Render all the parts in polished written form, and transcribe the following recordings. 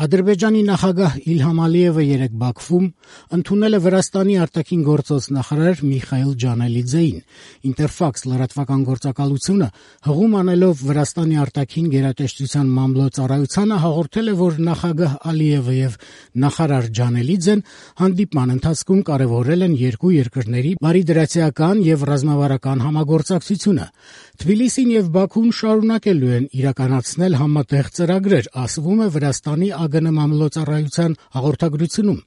Ադրբեջանի նախագահ Իլհամ Ալիևը երեկ Բաքվում ընդունել է Վրաստանի արտաքին գործոց նախարար Միխայիլ Ջանելիձեին։ Ինտերֆաքս լրատվական գործակալությունը հղում անելով Վրաստանի արտաքին գերատեսչության մամլոյցարայությանը հաղորդել է, որ նախագահ Ալիևը եւ նախարար Ջանելիձեն հանդիպման ընթացքում կարեւորել են երկու երկրների բարիդրացիական եւ ռազմավարական համագործակցությունը։ Թբիլիսին եւ Բաքուն շարունակելու են իրականացնել համատեղ ծրագրեր, ասվում է Վրաստանի ԱԳՆ մամլոյցարայության հաղորդագրությունում։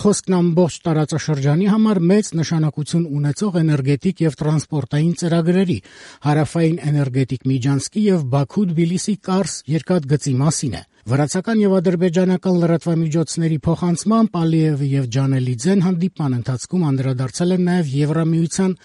Խոսքն ամբողջ տարածաշրջանի համար մեծ նշանակություն ունեցող էներգետիկ եւ տրանսպորտային ծրագրերի, հարավային էներգետիկ միջանցքի եւ Բաքու-Թբիլիսի կարս երկաթգծի մասին է։ Վրացական եւ ադրբեջանական լրատվամիջոցների փոխանցմամբ Ալիևը եւ Ջանելիձեն հանդիպման ընթացքում անդրադարձել են նաեւ Եվրամիության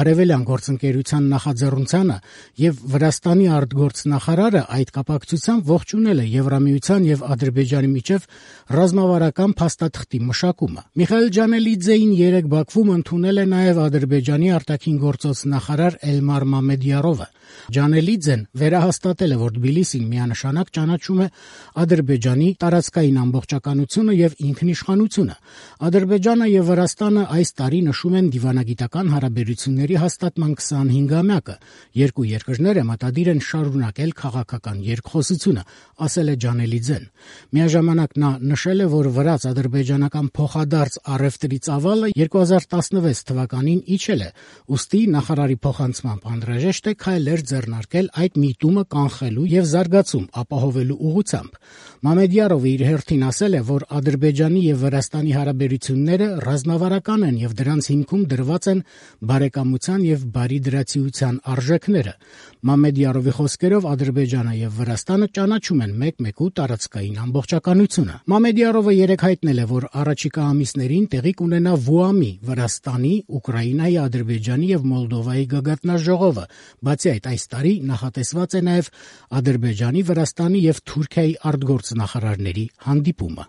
արևելյան գործընկերության նախաձեռնությանը եւ Վրաստանի արտգործնախարարը այդ կապակցությամբ ողջունել է Եվրամիության եւ Ադրբեջանի միջև ռազմավարական փաստաթղթի մշակումը։ Միխայիլ Ջանելիձեին երեկ Բաքվում ընդունել է նաեւ Ադրբեջանի արտաքին գործոց նախարար Էլմար Մամեդյարովը։ Ջանելիձեն վերահաստատել է, որ Թբիլիսին միանշանակ ճանաչում է Ադրբեջանի տարածքային ամբողջականությունը եւ ինքնիշխանությունը։ Ադրբեջանը եւ Վրաստանը այս տարի նշում են դիվանագիտական հարաբերությունների հաստատման 25-ամյակը։ Երկու երկրները մտադիր են շարունակել քաղաքական երկխոսությունը, ասել է Ջանելիձեն։ Միաժամանակ նա նշել է, որ վրաց-ադրբեջանական փոխադարձ առևտրի ծավալը 2016 թվականին իջել է, ուստի նախարարի փոխանցմամբ անհրաժեշտ է քայլեր ձեռնարկել այդ միտումը կանխելու եւ զարգացում ապահովելու ուղղությամբ։ Մամեդյարովը իր հերթին ասել է, որ Ադրբեջանի եւ Վրաստանի հարաբերությունները ռազմավարական են եւ դրանց հիմքում դրված են բարեկամության եւ բարիդրացիության արժեքները։ Մամեդյարովի խոսքերով Ադրբեջանը եւ Վրաստանը ճանաչում են մեկ-մեկու տարածքային ամբողջականությունը։ Մամեդյարովը երեկ հայտնել է, որ առաջիկա ամիսներին տեղի կունենա Վուամի, Վրաստանի, Ուկրաինայի, Ադրբեջանի եւ Մոլդովայի գագաթնաժողովը։ Բացի այդ, այս տարի նախատեսված է նաեւ Ադրբեջանի, Վրաստանի եւ Թուրքիայի արտգործնախարարների հանդիպումը։